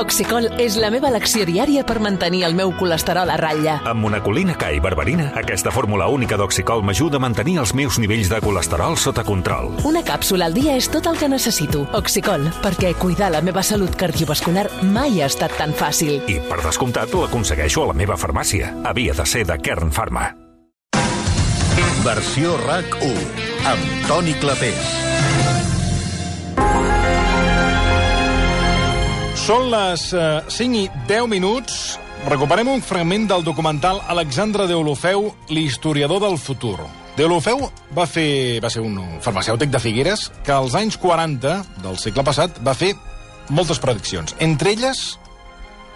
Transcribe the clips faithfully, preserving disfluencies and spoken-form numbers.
Oxicol és la meva elecció diària per mantenir el meu colesterol a ratlla. Amb monacolina K i berberina, aquesta fórmula única d'Oxicol m'ajuda a mantenir els meus nivells de colesterol sota control. Una càpsula al dia és tot el que necessito. Oxicol, perquè cuidar la meva salut cardiovascular mai ha estat tan fàcil. I, per descomptat, l'aconsegueixo a la meva farmàcia. Havia de ser de Kern Pharma. Versió RAC u, amb Toni Clapés. Són les uh, cinc i deu minuts. Recuperem un fragment del documental Alexandre Deulofeu, l'historiador del futur. Deulofeu va, fer, va ser un farmacèutic de Figueres que als anys quaranta del segle passat va fer moltes prediccions. Entre elles,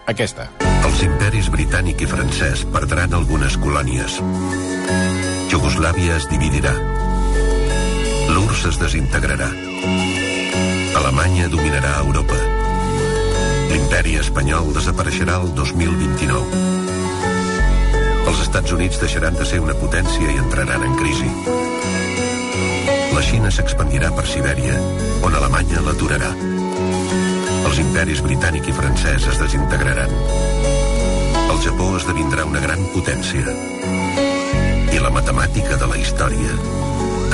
aquesta. Els imperis britànic i francès perdran algunes colònies. Iugoslàvia es dividirà. L'U R S S es desintegrarà. Alemanya dominarà Europa. L'imperi espanyol desapareixerà el dos mil vint-i-nou. Els Estats Units deixaran de ser una potència i entraran en crisi. La Xina s'expandirà per Sibèria, on Alemanya l'aturarà. Els imperis britànic i francès es desintegraran. El Japó esdevindrà una gran potència. I la matemàtica de la història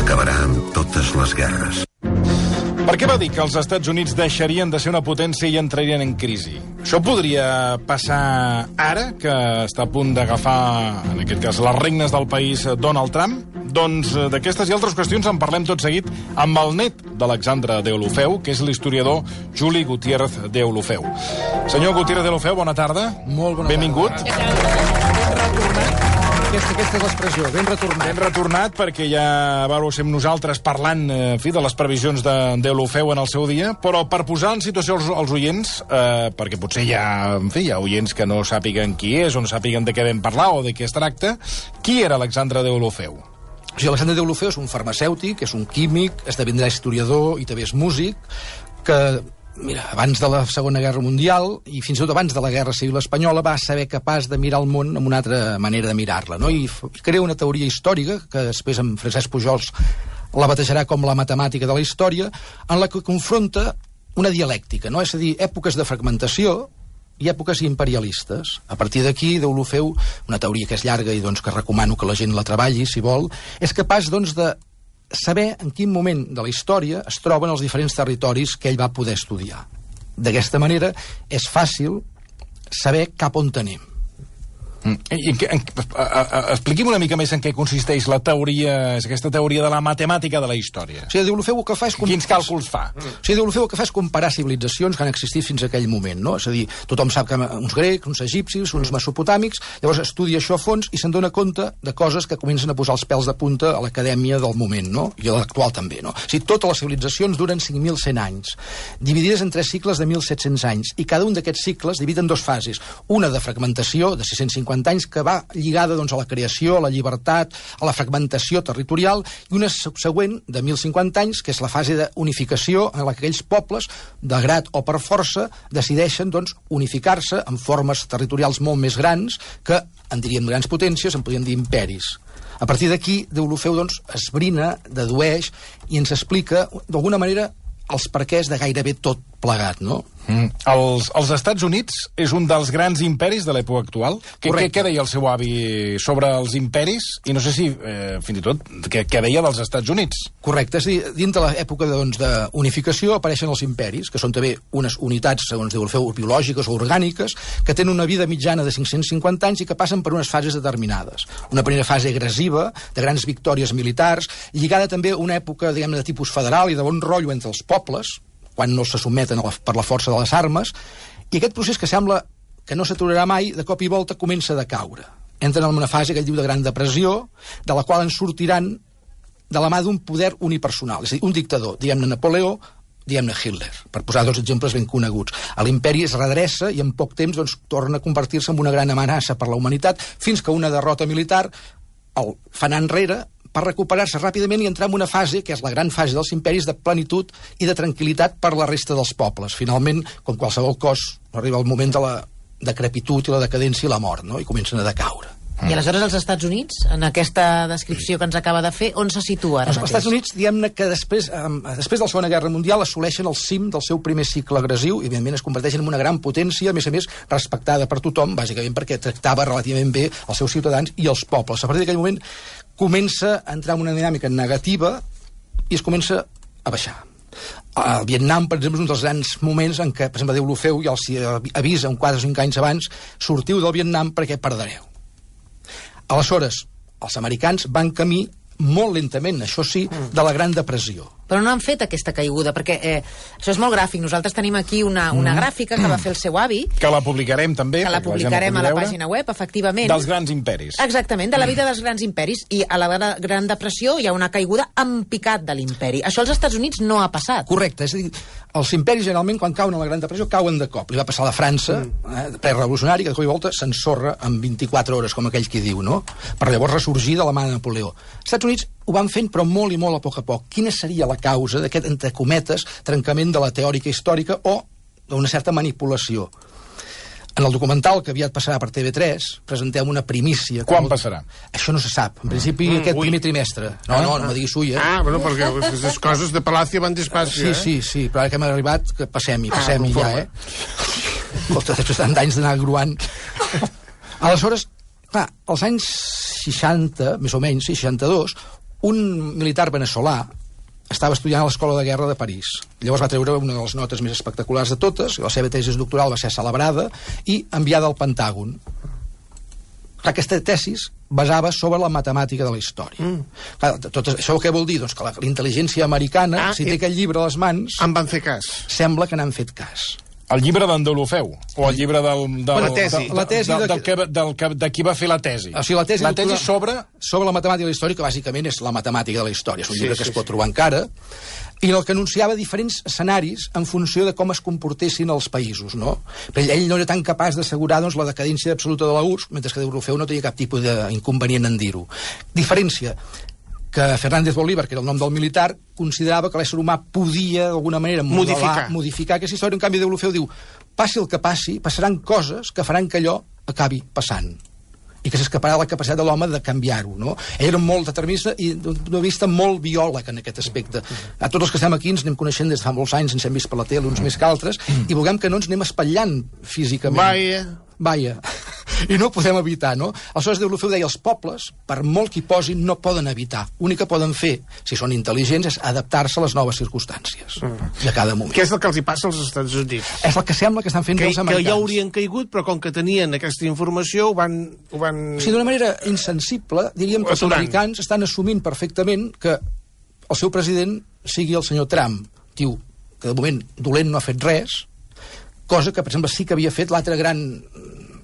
acabarà amb totes les guerres. Per què va dir que els Estats Units deixarien de ser una potència i entrarien en crisi? Això podria passar ara, que està a punt d'agafar, en aquest cas, les regnes del país Donald Trump? Doncs d'aquestes i altres qüestions en parlem tot seguit amb el net d'Alexandre Deulofeu, que és l'historiador Juli Gutiérrez Deulofeu. Senyor Gutiérrez Deulofeu, bona tarda. Molt bona Benvingut. tarda. Benvingut. Aquesta, aquesta és l'expressió, ben retornat. Ben retornat, perquè ja vau ser nosaltres parlant, en fi, de les previsions de Deulofeu en el seu dia, però per posar en situació els, els oients, eh, perquè potser hi ha, en fi, hi ha oients que no sàpiguen qui és, o no sàpiguen de què vam parlar o de què es tracta, qui era Alexandre Deulofeu? O sigui, Alexandre Deulofeu és un farmacèutic, és un químic, esdevindrà historiador i també és músic, que... Mira, abans de la Segona Guerra Mundial i fins i tot abans de la Guerra Civil Espanyola va saber capaç de mirar el món amb una altra manera de mirar-la, no? I crea una teoria històrica, que després en Francesc Pujols la batejarà com la matemàtica de la història, en la que confronta una dialèctica, no? És a dir, èpoques de fragmentació i èpoques imperialistes. A partir d'aquí, Deulofeu, una teoria que és llarga i doncs, que recomano que la gent la treballi, si vol, és capaç doncs, de saber en quin moment de la història es troben els diferents territoris que ell va poder estudiar. D'aquesta manera és fàcil saber cap on tenim. Mm. I, en, en, a, a, a, expliqui'm una mica més en què consisteix la teoria, és aquesta teoria de la matemàtica de la història. O sigui, Deulofeu el que fa és... Quins càlculs fa? Mm. O sigui, Deulofeu el que fa és comparar civilitzacions que han existit fins a aquell moment, no? És a dir, tothom sap que uns grecs, uns egipcis, uns mesopotàmics, llavors estudia això a fons i se'n dona compte de coses que comencen a posar els pèls de punta a l'acadèmia del moment, no? I a l'actual també, no? O sigui, totes les civilitzacions duren cinc mil cent anys, dividides en tres cicles de mil set-cents anys, i cada un d'aquests cicles divide en dos fases. Una de fragmentació, de sis-cents cinquanta anys, que va lligada doncs, a la creació, a la llibertat, a la fragmentació territorial, i una subsegüent de mil cinquanta anys, que és la fase d'unificació en la que aquells pobles, de grat o per força, decideixen doncs, unificar-se en formes territorials molt més grans, que en diríem grans potències, en podríem dir imperis. A partir d'aquí, Deulofeu doncs, esbrina, dedueix i ens explica, d'alguna manera, els perquès de gairebé tot plegat, no? Mm. Els, els Estats Units és un dels grans imperis de l'època actual? Què, què, què deia el seu avi sobre els imperis? I no sé si, eh, fins i tot, què, què deia dels Estats Units? Correcte, és a dir, dins de l'època doncs, d'unificació apareixen els imperis, que són també unes unitats, segons Deulofeu, biològiques o orgàniques, que tenen una vida mitjana de cinc-cents cinquanta anys i que passen per unes fases determinades. Una primera fase agressiva, de grans victòries militars, lligada també a una època, diguem, de tipus federal i de bon rotllo entre els pobles, quan no se sotmeten a la, per la força de les armes, i aquest procés que sembla que no s'aturarà mai, de cop i volta comença a decaure. Entren en una fase que ell diu de gran depressió, de la qual en sortiran de la mà d'un poder unipersonal, és a dir, un dictador, diguem-ne Napoleó, diguem-ne Hitler, per posar dos exemples ben coneguts. L'imperi es redreça i en poc temps doncs, torna a convertir-se en una gran amenaça per la humanitat, fins que una derrota militar el fa anar enrere, per recuperar-se ràpidament i entrar en una fase, que és la gran fase dels imperis, de plenitud i de tranquil·litat per la resta dels pobles. Finalment, com qualsevol cos, arriba el moment de la decrepitud i la decadència i la mort, no? I comencen a decaure. I aleshores els Estats Units, en aquesta descripció que ens acaba de fer, on se situa ara Els mateix? Estats Units, diguem-ne que després, eh, després de la Segona Guerra Mundial assoleixen el cim del seu primer cicle agressiu i, evidentment, es converteixen en una gran potència, a més a més, respectada per tothom, bàsicament perquè tractava relativament bé els seus ciutadans i els pobles. A partir d'aquell moment comença a entrar en una dinàmica negativa i es comença a baixar. El Vietnam, per exemple, és un dels grans moments en què, per exemple, Déu l'Ofeu ja els avisa un quatre o cinc anys abans: sortiu del Vietnam perquè perdreu. Aleshores, els americans van camí molt lentament, això sí, de la Gran Depressió. Però no han fet aquesta caiguda, perquè eh, això és molt gràfic. Nosaltres tenim aquí una, una gràfica que va fer el seu avi, Que la publicarem també. que la perquè gent publicarem a pugui la veure, pàgina web, efectivament. Dels grans imperis. Exactament, de la vida dels grans imperis. I a la Gra- Gran Depressió hi ha una caiguda en picat de l'imperi. Això als Estats Units no ha passat. Correcte, és a dir, els imperis generalment quan cauen a la Gran Depressió cauen de cop. Li va passar a la França, eh, prerevolucionari, que de cop i volta s'ensorra en vint-i-quatre hores, com aquell qui diu, no? Per llavors ressorgir de la mà de Napoleó. Els Estats Units ho van fent, però molt i molt a poc a poc. Quina seria la causa d'aquest, entre cometes, trencament de la teòrica històrica o d'una certa manipulació? En el documental, que aviat passarà per T V tres, presentem una primícia. Quan que... passarà? Això no se sap. En principi, mm, aquest ui. primer trimestre. No, no, no me diguis ui, eh? Ah, bueno, perquè les coses de Palacio van despacio, Sí, eh? sí, sí, però ara que hem arribat, que passem-hi, passem-hi conforme. ja, eh? Escolta, després de tant d'anys d'anar gruant. Aleshores, clar, als anys seixanta, més o menys, sí, seixanta-dos, un militar veneçolà estava estudiant a l'Escola de Guerra de París. Llavors va treure una de les notes més espectaculars de totes, la seva tesi doctoral va ser celebrada i enviada al Pentàgon. Aquesta tesis basava sobre la matemàtica de la història. Mm. Clar, tot això què vol dir? Doncs que la, la intel·ligència americana, Ah, si té i- aquest llibre a les mans, En van fer cas. sembla que n'han fet cas. El llibre d'en Deulofeu? O el llibre del... del La tesi. del- La tesi del, de- del, que, del que, de qui va fer la tesi. O sigui, la tesi, la tesi doctoral- sobre... sobre la matemàtica de la història, que bàsicament és la matemàtica de la història. És un Sí, llibre sí, que es sí. pot trobar encara, i en el que anunciava diferents escenaris en funció de com es comportessin els països, no? Però ell no era tan capaç d'assegurar, doncs, la decadència absoluta de la U R S S, mentre que Deulofeu no tenia cap tipus d'inconvenient en dir-ho. Diferència que Fernández Bolívar, que era el nom del militar, considerava que l'ésser humà podia, d'alguna manera, modelar, Modificar. modificar aquesta història. En canvi, Deulofeu diu: passi el que passi, passaran coses que faran que allò acabi passant i que s'escaparà la capacitat de l'home de canviar-ho, no? Ell era molt determinista i d'un punt de vista molt biòleg en aquest aspecte. A tots els que estem aquí ens anem coneixent des de fa molts anys, ens hem vist per la tele, uns més que altres, i vulguem que no ens anem espatllant físicament. Vaja. Vaja. I no ho podem evitar, no? Aleshores, Deulofeu deia, els pobles, per molt que hi posin, no poden evitar. L'únic que poden fer, si són intel·ligents, és adaptar-se a les noves circumstàncies de cada moment. Què és el que els hi passa als Estats Units? És el que sembla que estan fent Que, els que americans. ja haurien caigut, però com que tenien aquesta informació, ho van... Ho van... O sigui, d'una manera insensible, diríem que els Aturant. americans estan assumint perfectament que el seu president sigui el senyor Trump, tio, que de moment dolent no ha fet res, cosa que, per exemple, sí que havia fet l'altre gran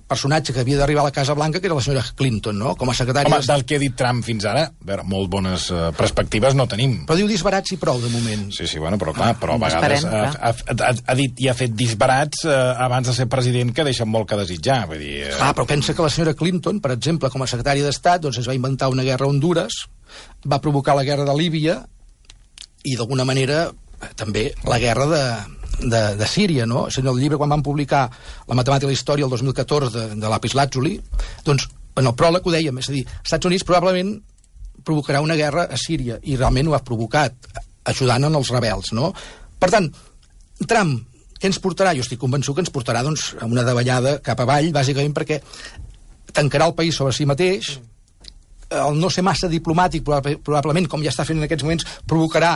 personatge que havia d'arribar a la Casa Blanca, que era la senyora Clinton, no? Com a secretària... Home, d'Estat. del que ha dit Trump fins ara, a veure, molt bones uh, perspectives no tenim. Però diu disbarats i prou, de moment. Sí, sí, bueno, però clar, però a vegades Esperem, ha, ha, ha, ha dit i ha fet disbarats eh, abans de ser president que deixen molt que desitjar. Vull dir, eh, Clar, però pensa que la senyora Clinton, per exemple, com a secretària d'Estat, doncs es va inventar una guerra a Honduras, va provocar la guerra de Líbia i, d'alguna manera, eh, també la guerra de, de, de Síria, no? És a dir, el llibre, quan van publicar La matemàtica i la història el dos mil catorze de, de Lapis Lazuli, doncs, en el pròleg ho dèiem, és a dir, els Estats Units probablement provocarà una guerra a Síria, i realment ho ha provocat, ajudant en els rebels, no? Per tant, Trump, què ens portarà? Jo estic convençut que ens portarà, doncs, a una davallada cap avall, bàsicament perquè tancarà el país sobre si mateix, el no ser massa diplomàtic, probablement, com ja està fent en aquests moments, provocarà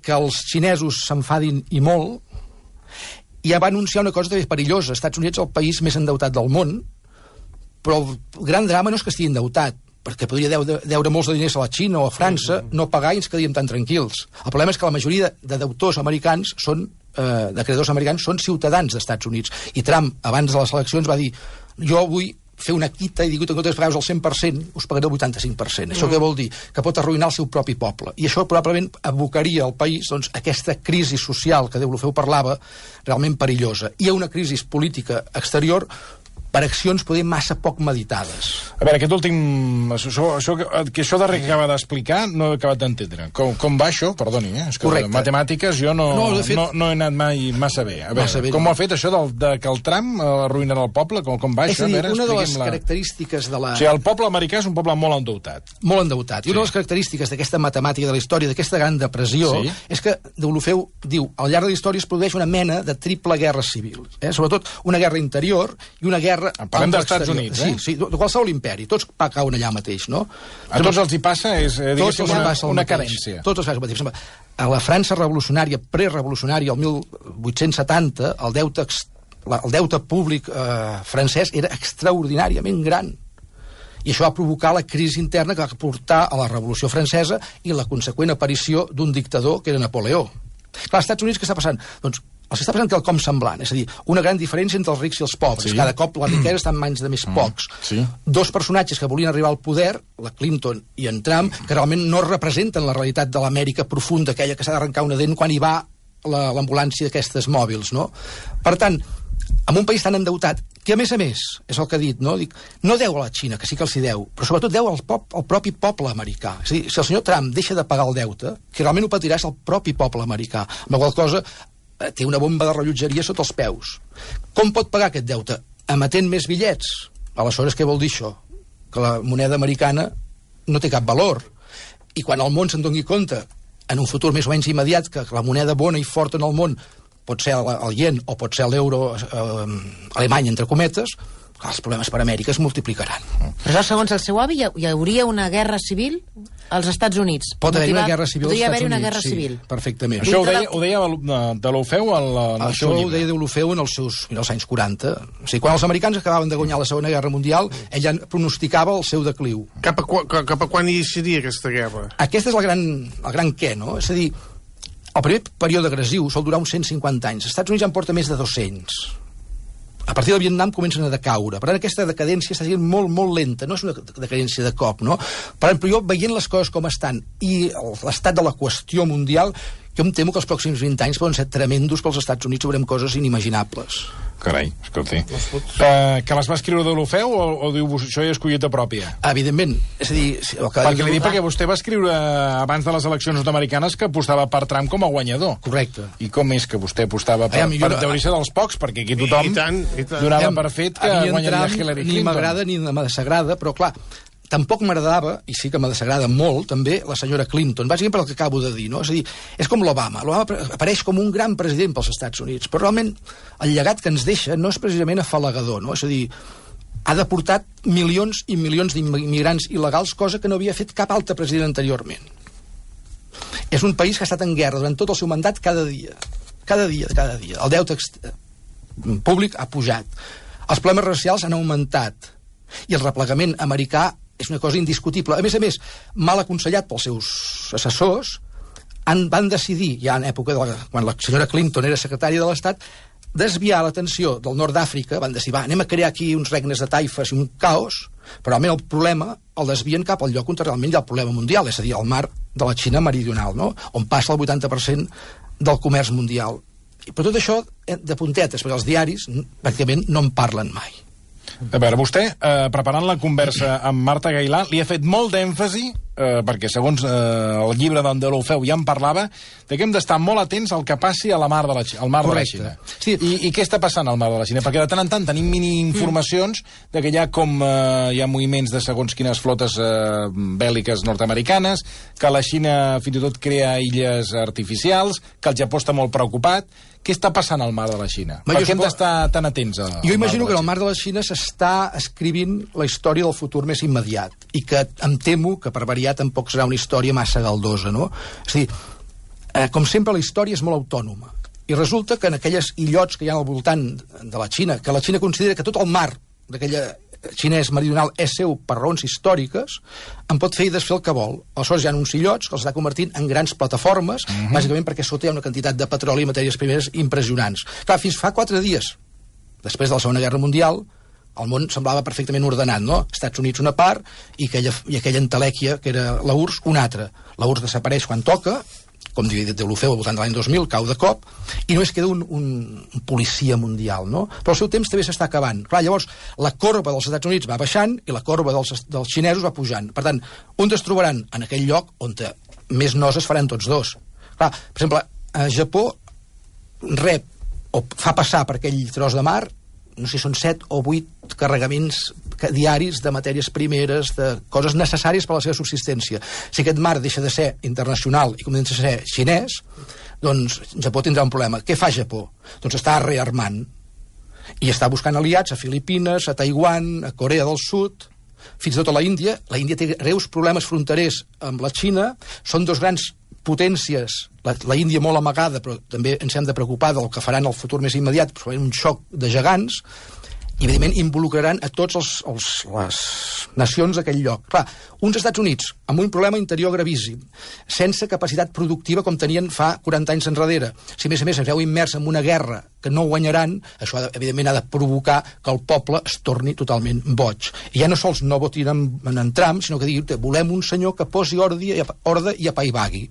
que els xinesos s'enfadin i molt, i ja va anunciar una cosa també perillosa. Estats Units és el país més endeutat del món, però el gran drama no és que estigui endeutat, perquè podria deure, deure molts de diners a la Xina o a França, no pagar i ens quedaríem tan tranquils. El problema és que la majoria de deutors americans són, eh, de creditors americans són ciutadans dels Estats Units. I Trump, abans de les eleccions, va dir: jo vull fer una quita i dic que en comptes de pagar-vos el cent per cent, us pagaré el vuitanta-cinc per cent. Això què vol dir? Que pot arruïnar el seu propi poble. I això probablement abocaria al país, doncs, aquesta crisi social que Deulofeu parlava, realment perillosa. I a una crisi política exterior per accions poder massa poc meditades. A veure, aquest últim... Això, això, que això darrer que acaba d'explicar no he acabat d'entendre. Com, com va això? Perdoni, eh? És que Correcte. Matemàtiques jo no, no, fet, no, no he anat mai massa bé. A veure, massa bé, com no. ho ha fet això del, de que el Trump arruïnarà el poble? Com, com va és això? a dir, a veure, una de les la... característiques de la... O sigui, el poble americà és un poble molt endeutat. Molt endeutat. I Sí. una de les característiques d'aquesta matemàtica de la història, d'aquesta gran depressió, Sí. és que Deulofeu diu, al llarg de la història es produeix una mena de triple guerra civil. Eh? Sobretot una guerra interior i una guerra... Parlem dels Estats Units, eh? Sí, sí, de qualsevol imperi. Tots cauen allà mateix, no? A tots els hi passa, és eh, Tots els una, passa el una mateix. carència. Tots els passa el mateix. A la França revolucionària, prerevolucionària, el mil vuit-cents setanta, el deute, el deute públic eh, francès era extraordinàriament gran. I això va provocar la crisi interna que va portar a la Revolució Francesa i la conseqüent aparició d'un dictador que era Napoleó. Clar, als Estats Units què està passant? Doncs els està passant quelcom semblant, és a dir, una gran diferència entre els rics i els pobres. Sí. Cada cop la riquesa està en mans de més pocs. Sí. Dos personatges que volien arribar al poder, la Clinton i en Trump, que realment no representen la realitat de l'Amèrica profunda, aquella que s'ha d'arrencar una dent quan hi va la- l'ambulància d'aquestes mòbils, no? Per tant, en un país tan endeutat, que a més a més, és el que ha dit, no? Dic, no deu a la Xina, que sí que els hi deu, però sobretot deu al, pop, al propi poble americà. És a dir, si el senyor Trump deixa de pagar el deute, que realment ho patirà és el propi poble americà, amb la qual cosa eh, té una bomba de rellotgeria sota els peus. Com pot pagar aquest deute? Emetent més bitllets. Aleshores, què vol dir això? Que la moneda americana no té cap valor. I quan el món se'n doni compte, en un futur més o menys immediat, que la moneda bona i forta en el món pot ser el, el yen o pot ser l'euro eh, alemany, entre cometes, els problemes per Amèrica es multiplicaran. Però segons el seu avi, hi, hi hauria una guerra civil als Estats Units. Pot haver-hi una Motivat- guerra civil als Podria Estats haver-hi una Units, guerra sí, civil. perfectament. Això ho Dintre deia, la- ho deia de, de l'Ofeu al, al Això seu ho llibre. deia Deulofeu en els seus en els anys quaranta. O sigui, quan els americans acabaven de guanyar la Segona Guerra Mundial, ell ja pronosticava el seu decliu. Cap a, qua- cap a quan iniciaria aquesta guerra? Aquest és el gran, el gran què, no? És a dir, el primer període agressiu sol durar uns cent cinquanta anys. Els Estats Units ja en porta més de dos-cents. A partir del Vietnam comencen a decaure. Per tant, aquesta decadència està sent molt, molt lenta. No és una decadència de cop, no? Per tant, però jo, veient les coses com estan i l'estat de la qüestió mundial, jo em temo que els pròxims vint anys poden ser tremendos pels Estats Units, veurem coses inimaginables. Carai, escolti. Uh, que les va escriure de l'Ofeu o, o diu això ja és collita pròpia? Evidentment. És a dir... Si, el que Perquè li dic perquè vostè va escriure abans de les eleccions nord-americanes que apostava per Trump com a guanyador. Correcte. I com és que vostè apostava per, Aviam, jo per no- deuria ser dels pocs? Perquè aquí tothom I tant, i tant. donava Aviam, per fet que a mi en guanyaria Trump Hillary ni Clinton. m'agrada ni me desagrada, però clar, tampoc m'agradava, i sí que me desagrada molt, també, la senyora Clinton, bàsicament per el que acabo de dir, no? És a dir, és com l'Obama. L'Obama apareix com un gran president pels Estats Units, però realment el llegat que ens deixa no és precisament afalagador, no? És a dir, ha deportat milions i milions d'immigrants il·legals, cosa que no havia fet cap altre president anteriorment. És un país que ha estat en guerra durant tot el seu mandat cada dia. Cada dia, cada dia. El deute públic ha pujat. Els problemes racials han augmentat. I el replegament americà és una cosa indiscutible. A més a més, mal aconsellat pels seus assessors, han, van decidir, ja en època de la, quan la senyora Clinton era secretària de l'Estat, desviar l'atenció del nord d'Àfrica, van decidir, va, anem a crear aquí uns regnes de taifes i un caos, però realment el problema el desvien cap al lloc on realment hi ha el problema mundial, és a dir, al mar de la Xina meridional, no? On passa el vuitanta per cent del comerç mundial. Però tot això de puntetes, perquè els diaris pràcticament no en parlen mai. A veure, vostè, eh, preparant la conversa amb Marta Gailà, li ha fet molt d'èmfasi, eh, perquè segons eh, el llibre d'en de l'Ofeu ja en parlava, de que hem d'estar molt atents al que passi a la mar de la, Xina, al mar Correcte. de la Xina. Sí. I, I què està passant al mar de la Xina? Perquè de tant en tant tenim mini-informacions mm. de que hi ha com eh, hi ha moviments de segons quines flotes eh, bèl·liques nord-americanes, que la Xina fins i tot crea illes artificials, que el Japó està molt preocupat. Què està passant al mar de la Xina? Ma, per jo què hem supo- d'estar tan atents a, Jo imagino que en el mar de la Xina s'està escrivint la història del futur més immediat i que em temo que per variar tampoc serà una història massa galdosa, no? És a dir, eh, com sempre la història és molt autònoma i resulta que en aquelles illots que hi ha al voltant de la Xina, que la Xina considera que tot el mar d'aquella xinès meridional és seu per raons històriques, en pot fer i desfer el que vol. Aleshores hi ha uns illots que els està convertint en grans plataformes, uh-huh. bàsicament perquè sota hi ha una quantitat de petroli i matèries primeres impressionants. Clar, fins fa quatre dies, després de la Segona Guerra Mundial, el món semblava perfectament ordenat, no? Estats Units una part i aquella, i aquella entelèquia, que era la U R S S, una altra. La U R S S desapareix quan toca com diu Deulofeu, al voltant de l'any dos mil, cau de cop, i només queda un, un, un policia mundial, no? Però el seu temps també s'està acabant. Clar, llavors, la corba dels Estats Units va baixant i la corba dels, dels xinesos va pujant. Per tant, on es trobaran? En aquell lloc on més noses faran tots dos. Clar, per exemple, a Japó rep o fa passar per aquell tros de mar, no sé si són set o vuit carregaments diaris de matèries primeres, de coses necessàries per a la seva subsistència. Si aquest mar deixa de ser internacional i comença a ser xinès, doncs Japó tindrà un problema. Què fa Japó? Doncs està rearmant i està buscant aliats a Filipines, a Taiwan, a Corea del Sud, fins i tot a la Índia. La Índia té greus problemes fronterers amb la Xina, són dos grans potències, la, la Índia molt amagada, però també ens hem de preocupar del que faran el futur més immediat, però un xoc de gegants, i evidentment involucraran a tots els, els, les nacions d'aquell lloc. Clar, uns Estats Units amb un problema interior gravíssim, sense capacitat productiva com tenien fa quaranta anys enrere. Si a més a més es veu immers en una guerra que no guanyaran, això evidentment ha de provocar que el poble es torni totalment boig. I ja no sols no votin en, en Trump, sinó que diguin, volem un senyor que posi ordre i, ordre i apaivagui.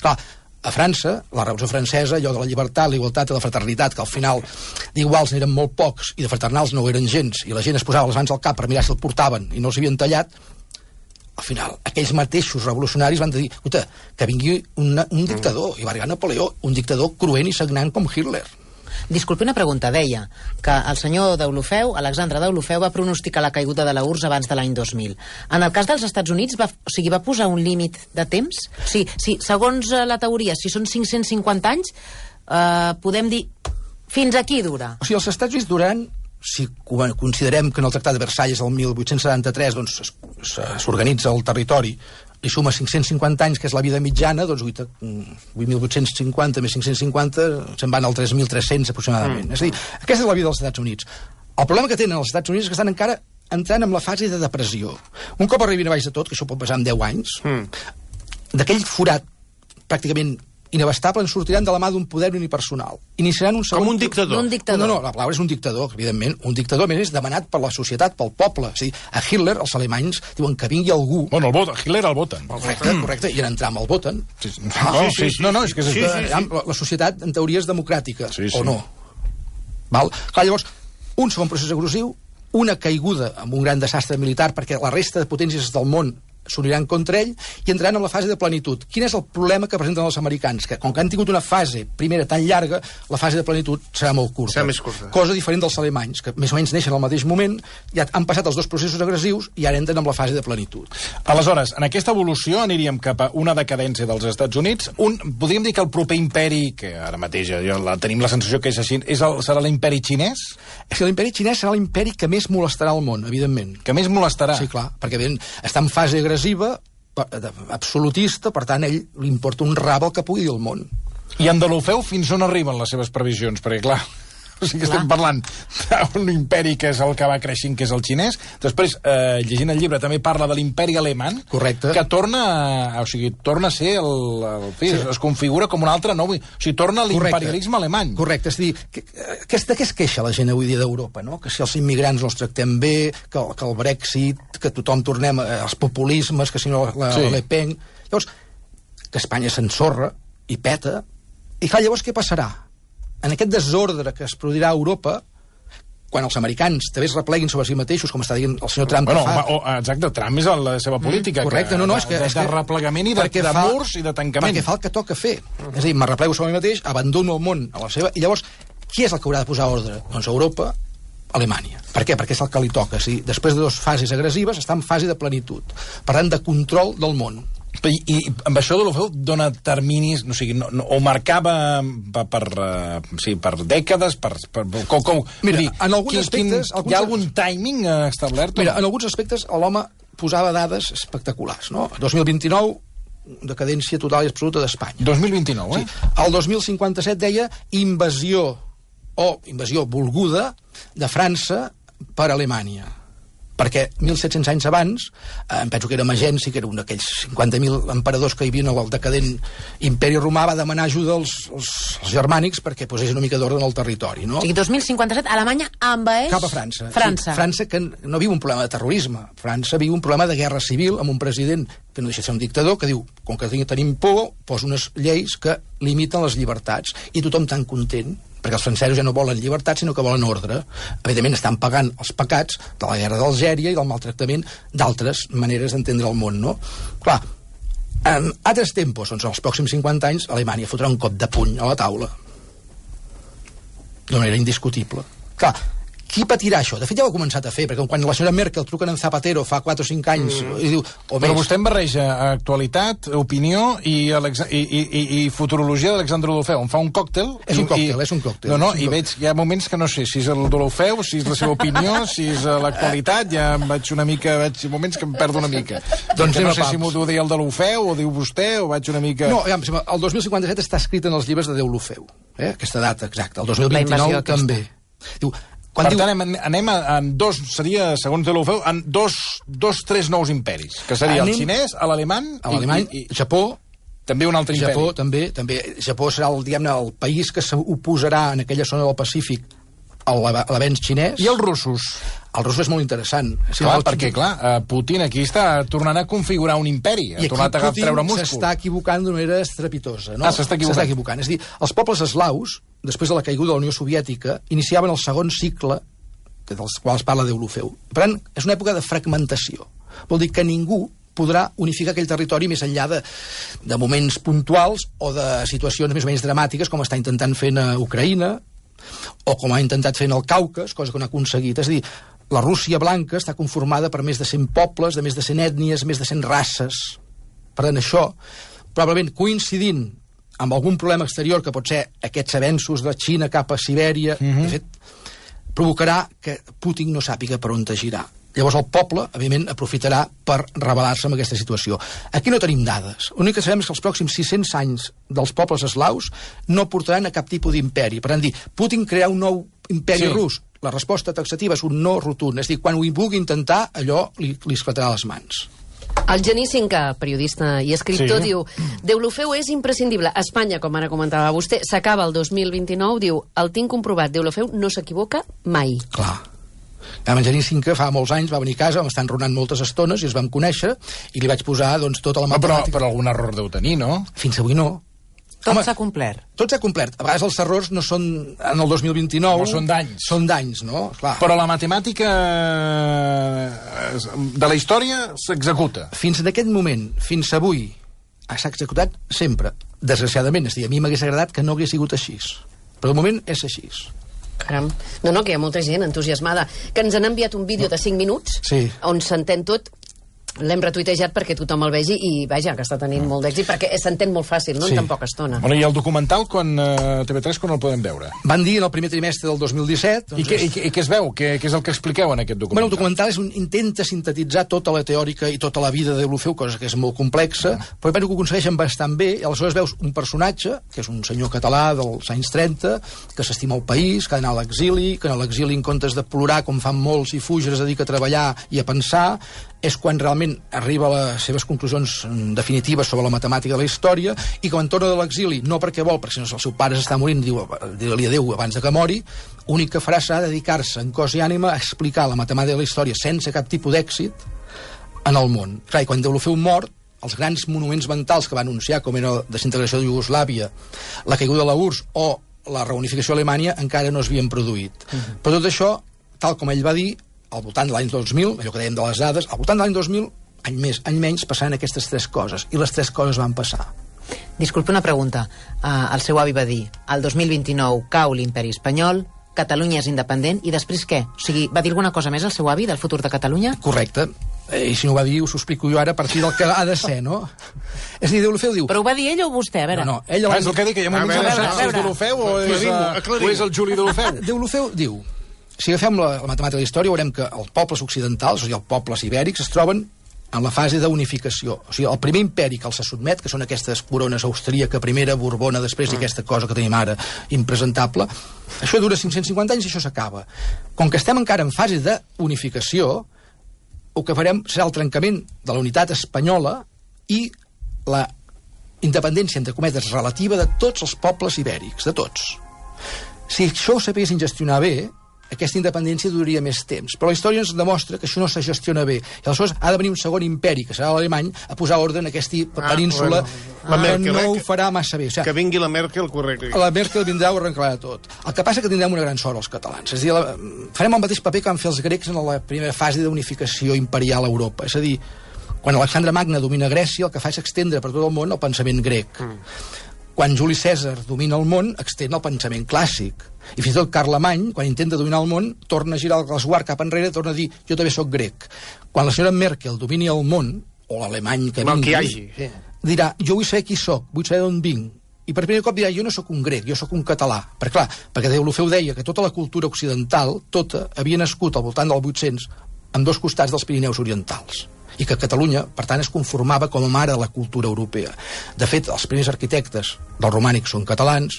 Clar, a França, la Revolució Francesa, allò de la llibertat, la igualtat i la fraternitat, que al final d'iguals n'eren molt pocs i de fraternals no ho eren gens, i la gent es posava les mans al cap per mirar si el portaven i no els havien tallat, al final, aquells mateixos revolucionaris van dir, escolta, que vingui una, un dictador, i va arribar Napoleó, un dictador cruent i sagnant com Hitler. Disculpi una pregunta, deia que el senyor Deulofeu, Alexandre Deulofeu, va pronosticar la caiguda de la U R S S abans de l'any dos mil. En el cas dels Estats Units, va, o sigui, va posar un límit de temps? O sigui, si, segons la teoria, si són cinc-cents cinquanta anys, eh, podem dir fins aquí dura. O sigui, els Estats Units duran, si considerem que en el Tractat de Versalles el mil vuit-cents setanta-tres doncs, s'organitza el territori, li suma cinc-cents cinquanta anys, que és la vida mitjana, doncs vuit mil vuit-cents cinquanta més cinc-cents cinquanta se'n van al tres mil tres-cents aproximadament. Mm. És a dir, aquesta és la vida dels Estats Units. El problema que tenen els Estats Units és que estan encara entrant en la fase de depressió. Un cop arribin a baix de tot, que això pot passar en deu anys, mm. d'aquell forat pràcticament inabastable en sortiran de la mà d'un poder unipersonal. Iniciaran un segon... Com un dictador. Un dictador. No, no, la paraula és un dictador, evidentment. Un dictador, a més, és demanat per la societat, pel poble. O sigui, a Hitler, els alemanys, diuen que vingui algú... Bueno, el vot, Hitler el voten. Correcte, correcte, i en entrar amb el voten. Sí, sí. No, sí, sí, no, no, és que... És... Sí, sí, sí. La, la societat, en teoria, és democràtica, sí, sí. o no? Val? Clar, llavors, un segon procés agressiu, una caiguda amb un gran desastre militar, perquè la resta de potències del món s'uniran contra ell i entraran en la fase de plenitud. Quin és el problema que presenten els americans? Que com que han tingut una fase primera tan llarga, la fase de plenitud serà molt curta. Serà més curta. Cosa diferent dels alemanys, que més o menys neixen al mateix moment, ja han passat els dos processos agressius i ara entren en la fase de plenitud. Aleshores, en aquesta evolució aniríem cap a una decadència dels Estats Units. Un, podríem dir que el proper imperi, que ara mateix ja la, tenim la sensació que és així, és el, serà l'imperi xinès? És que l'imperi xinès serà l'imperi que més molestarà al món, evidentment. Que més molestarà? Sí, clar, perquè ben, està en fase agressiva, absolutista, per tant, ell li importa un rab el que pugui dir el món. I en Deulofeu fins on arriben les seves previsions? Perquè, clar, o sigui que estem parlant d'un imperi que és el que va creixent, que és el xinès. Després, eh, llegint el llibre, també parla de l'imperi alemany. Correcte. Que torna, o sigui, torna a ser el... el sí. Es configura com un altre nou... O sigui, torna a l'imperialisme alemany. Correcte. És a dir, que, que, de què es queixa la gent avui dia d'Europa, no? Que si els immigrants no els tractem bé, que, que el Brexit, que tothom tornem als populismes, que si no la, sí. la Le Pen... Llavors, que Espanya s'ensorra i peta, i clar, llavors què passarà? En aquest desordre que es produirà a Europa, quan els americans també es repleguin sobre si mateixos, com està dient el senyor Trump bueno, que fa... O, exacte, Trump és la seva política. Mm, correcte, que, no, no, és que... De, és que de replegament i de, de fa, murs i de tancament. Perquè fa el que toca fer. És a dir, me replego sobre mi mateix, abandono el món a la seva... I llavors, qui és el que haurà de posar ordre? Doncs Europa, Alemanya. Per què? Perquè és el que li toca. Si després de dues fases agressives està en fase de plenitud. Per tant, de control del món. I, i amb això Deulofeu dona terminis, no sigui, no, no, o marcava per, per, uh, sí, per dècades, per, per, com, com, mira, dir, en alguns quin, aspectes... Quin, alguns, hi ha algun timing uh, establert? Mira, en alguns aspectes l'home posava dades espectaculars, no? dos mil vint-i-nou, decadència total i absoluta d'Espanya. dos mil vint-i-nou, eh? Sí. El dos mil cinquanta-set deia invasió, o invasió volguda, de França per Alemanya. perquè mil set-cents anys abans, eh, em penso que era Magenci, que era un d'aquells cinquanta mil emperadors que hi havia al decadent imperi romà, va demanar ajuda als, als, als germànics perquè posés una mica d'ordre en el territori, no? O sigui, dos mil cinquanta-set, Alemanya envaeix... Cap a França. França. Sí, França, que no viu un problema de terrorisme. França viu un problema de guerra civil amb un president que no deixa de ser un dictador, que diu, com que tenim por, posa unes lleis que limiten les llibertats. I tothom tan content, perquè els francesos ja no volen llibertat, sinó que volen ordre. Evidentment estan pagant els pecats de la guerra d'Algèria i del maltractament d'altres maneres d'entendre el món, no? Clar, en altres tempos, doncs, en els pròxims cinquanta anys, Alemanya fotrà un cop de puny a la taula. D'una manera indiscutible. Clar, qui patirà això? De fet, ja ho ha començat a fer, perquè quan la senyora Merkel truca en Zapatero fa quatre o cinc anys mm. i diu... O Però vostè em barreja actualitat, opinió i, Alex... I, i, i, i futurologia d'Alexandre Deulofeu. Em fa un còctel... És un còctel, i... és un còctel. No, no, i còctel. Veig, hi ha moments que no sé si és el Deulofeu, si és la seva opinió, si és l'actualitat, ja em vaig una mica... Veig moments que em perdo una mica. Doncs no sé si m'ho deia el Deulofeu, o diu vostè, o vaig una mica... No, el dos mil cinquanta-set està escrit en els llibres de Deulofeu, eh? Aquesta data exacta. El dos mil vint-i-nou també. Diu... Quan per diu... tant, anem, anem a, en dos, seria, segons Deulofeu, en dos, dos, tres nous imperis, que seria anem... el xinès, l'alemany... L'alemany, i, i... Japó... També un altre Japó, imperi. també, també. Japó serà el, diguem-ne, el país que s'oposarà en aquella zona del Pacífic a l'avenç xinès. I els russos? El rus és molt interessant. Sí, clar, perquè, clar, Putin aquí està tornant a configurar un imperi, ha tornat a treure múscul. I aquí Putin s'està equivocant d'una manera estrepitosa, no? Ah, s'està equivocant. S'està equivocant. És a dir, els pobles eslaus, després de la caiguda de la Unió Soviètica, iniciaven el segon cicle, que dels quals parla Deulofeu. Per tant, és una època de fragmentació. Vol dir que ningú podrà unificar aquell territori més enllà de, de moments puntuals o de situacions més o menys dramàtiques, com està intentant fer a Ucraïna, o com ha intentat fer en el Caucas, cosa que no ha aconseguit. És a dir, la Rússia blanca està conformada per més de cent pobles, de més de cent ètnies, més de cent races. Per tant, això, probablement coincidint amb algun problema exterior, que pot ser aquests avenços de Xina cap a Sibèria, mm-hmm. de fet, provocarà que Putin no sàpiga per on girar. Llavors el poble, evidentment, aprofitarà per rebel·lar-se amb aquesta situació. Aquí no tenim dades. L'únic que sabem és que els pròxims sis-cents anys dels pobles eslaus no portaran a cap tipus d'imperi. Per tant, dir, Putin crearà un nou imperi sí. rus. La resposta taxativa és un no rotund. És a dir, quan ho vulgui intentar, allò li, li esclatarà les mans. El Genís Cinca, periodista i escriptor, sí. diu Deulofeu és imprescindible. Espanya, com ara comentava vostè, s'acaba el dos mil vint-i-nou, diu, el tinc comprovat, Deulofeu no s'equivoca mai. Clar. En Genís Cinca fa molts anys va venir a casa, vam estar enronant moltes estones i ens vam conèixer i li vaig posar doncs, tota la matemàtica. Però, però algun error deu tenir, no? Fins avui no. Tot s'ha complert. Tot s'ha complert. A vegades els errors no són en el dos mil vint-i-nou. No són d'anys. Són d'anys, no? Clar. Però la matemàtica de la història s'executa. Fins en aquest moment, fins avui, s'ha executat sempre. Desgraciadament, és a dir, a mi m'hagués agradat que no hagués sigut així. Però de moment és així. Caram. No, no, que hi ha molta gent entusiasmada, que ens han enviat un vídeo de cinc minuts sí. on s'entén tot. L'hem retuitejat perquè tothom el vegi i, vaja, que està tenint molt d'èxit, perquè s'entén molt fàcil, no? Sí. En tan poca estona. Bueno, i el documental, quan uh, T V tres, quan el podem veure? Van dir en el primer trimestre del dos mil disset... Doncs I, què, és... i, I què es veu? Què, què és el que expliqueu en aquest documental? Bueno, el documental és un, intenta sintetitzar tota la teòrica i tota la vida de Deulofeu, cosa que és molt complexa, uh. però penso que ho aconsegueixen bastant bé, i aleshores veus un personatge, que és un senyor català dels anys trenta, que s'estima el país, que ha d'anar a l'exili, que a l'exili, en comptes de plorar, com fan molts, i fugir, es dedica a treballar i a pensar, és quan realment arriba a les seves conclusions definitives sobre la matemàtica de la història, i quan torna de l'exili, no perquè vol, perquè si no el seu pare s'està morint, diu, digue-li adéu abans de que mori, l'únic que farà serà dedicar-se en cos i ànima a explicar la matemàtica de la història sense cap tipus d'èxit en el món. Clar, i quan Deulofeu mor, els grans monuments mentals que va anunciar, com era la desintegració de Iugoslàvia, la caiguda de la U R S S o la reunificació a Alemanya, encara no es havien produït. Uh-huh. Però tot això, tal com ell va dir, al voltant de l'any dos mil, allò que dèiem de les dades, al voltant de l'any dos mil, any més, any menys, passaran aquestes tres coses. I les tres coses van passar. Disculpe una pregunta. Uh, el seu avi va dir, el dos mil vint-i-nou cau l'imperi espanyol, Catalunya és independent, i després què? O sigui, va dir alguna cosa més el seu avi del futur de Catalunya? Correcte. I si no ho va dir, us ho explico jo ara a partir del que ha de ser, no? És a dir, Deulofeu diu... Però ho va dir ell o vostè? A veure... No, no, ell... Ah, és el que dic, que hi ha moments que no saps si és Deulofeu o és, uh, o és el Juli Deulofeu. Deulofeu diu... Si agafem la, la matemàtica de la història, veurem que els pobles occidentals, o sigui, els pobles ibèrics, es troben en la fase d'unificació. O sigui, el primer imperi que els se sotmet, que són aquestes corones austríaca, primera, borbona, després, i aquesta cosa que tenim ara, impresentable, això dura cinc-cents cinquanta anys i això s'acaba. Com que estem encara en fase d'unificació, el que farem serà el trencament de la unitat espanyola i la independència, entre cometes, relativa de tots els pobles ibèrics, de tots. Si això ho sabessin gestionar bé, aquesta independència duraria més temps. Però la història ens demostra que això no se gestiona bé. I aleshores ha de venir un segon imperi, que serà l'alemany, a posar ordre en aquesta ah, península, bueno. La Merkel, que no eh, ho farà massa bé. O sigui, que vingui la Merkel, correcte. La Merkel vindrà a arreglar tot. El que passa és que tindrem una gran sort els catalans. És a dir, la, farem el mateix paper que van fer els grecs en la primera fase d'unificació imperial a Europa. És a dir, quan Alexandre Magne domina Grècia, el que fa és extendre per tot el món el pensament grec. Mm. Quan Juli Cèsar domina el món, extén el pensament clàssic. I fins i tot Carlemany, quan intenta dominar el món, torna a girar el resguard cap enrere i torna a dir, jo també sóc grec. Quan la senyora Merkel domini el món, o l'alemany que vingui, que hagi, sí. dirà, jo vull saber qui sóc, vull saber d'on vinc. I per primer cop dirà, jo no sóc un grec, jo sóc un català. Perquè clar, perquè Deulofeu deia que tota la cultura occidental, tota, havia nascut al voltant del vuit-cents en dos costats dels Pirineus orientals. I que Catalunya, per tant, es conformava com a mare de la cultura europea. De fet, els primers arquitectes del romànic són catalans,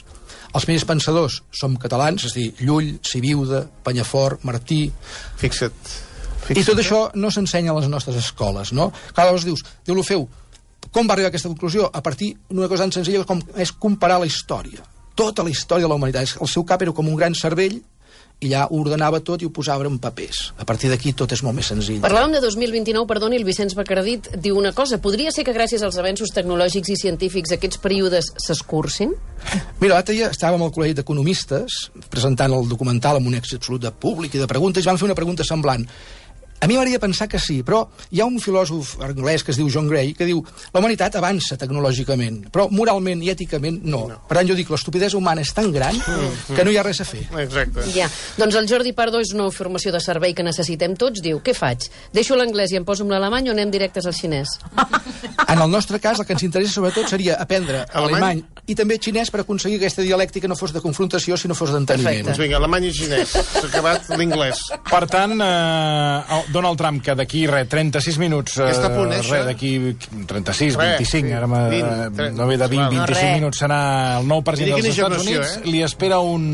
els primers pensadors som catalans, és a dir, Llull, Sibiuda, Penyafort, Martí... Fixa't. Fixa't. I tot això no s'ensenya a les nostres escoles, no? Clar, llavors dius, Deulofeu, com va arribar a aquesta conclusió? A partir d'una cosa tan senzilla com és comparar la història. Tota la història de la humanitat. El seu cap era com un gran cervell i allà ho ordenava tot i ho posava en papers. A partir d'aquí tot és molt més senzill. Parlàvem de dos mil vint-i-nou, perdoni, el Vicenç Bacardit diu una cosa. Podria ser que gràcies als avenços tecnològics i científics aquests períodes s'escurcin? Mira, l'altre dia estàvem al Col·legi d'Economistes presentant el documental amb un èxit absolut de públic i de preguntes i van fer una pregunta semblant. A mi m'agradaria pensar que sí, però hi ha un filòsof anglès que es diu John Gray que diu la humanitat avança tecnològicament, però moralment i èticament no. no. Per tant, jo dic, l'estupidesa humana és tan gran mm. que no hi ha res a fer. Exacte. Ja. Doncs el Jordi Pardo és una formació de servei que necessitem tots. Diu, què faig? Deixo l'anglès i em poso amb l'alemany o anem directes al xinès? En el nostre cas, el que ens interessa sobretot seria aprendre alemany, alemany i també xinès per aconseguir que aquesta dialèctica no fos de confrontació, sinó fos d'enteniment. Doncs vinga, alemany i xinès. S'ha acabat l'inglès. Per tant, eh, Donald Trump, que d'aquí, res, trenta-sis minuts... Eh, està a punt, eh, res, d'aquí trenta-sis, vint-i-cinc, sí. Ara vint, no ve de vint, vint-i-cinc no, minuts serà el nou president dels Estats Units. Eh? Li espera un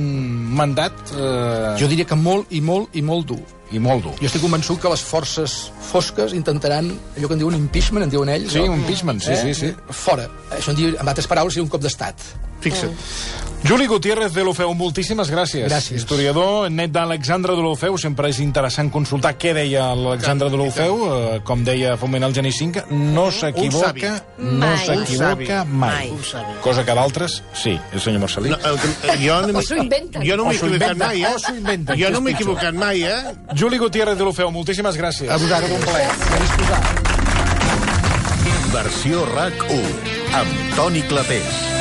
mandat... Eh... Jo diria que molt i molt i molt dur. I molt dur. Jo estic convençut que les forces fosques intentaran allò que en diuen impeachment, en diuen ells. Sí, no? un impeachment, sí, eh? sí, sí. Fora. Això en diu, en altres paraules, seria un cop d'estat. Fixa't. Mm. Juli Gutiérrez Deulofeu, moltíssimes gràcies. Gràcies. Historiador, net d'Alexandre Deulofeu, sempre és interessant consultar què deia l'Alexandre Deulofeu, eh, com deia fa un moment el Geni Cinca, no s'equivoca, no s'equivoca mai. mai. Cosa que d'altres, sí, el senyor Marcelí. No, el, jo no o s'ho inventen. Jo no m'he equivocat mai, eh? O s'ho inventen. Jo no m'he equivocat mai, eh? Juli Gutiérrez Deulofeu, moltíssimes gràcies. A vosaltres, un plaer. Versió RAC u, amb Toni Clapés.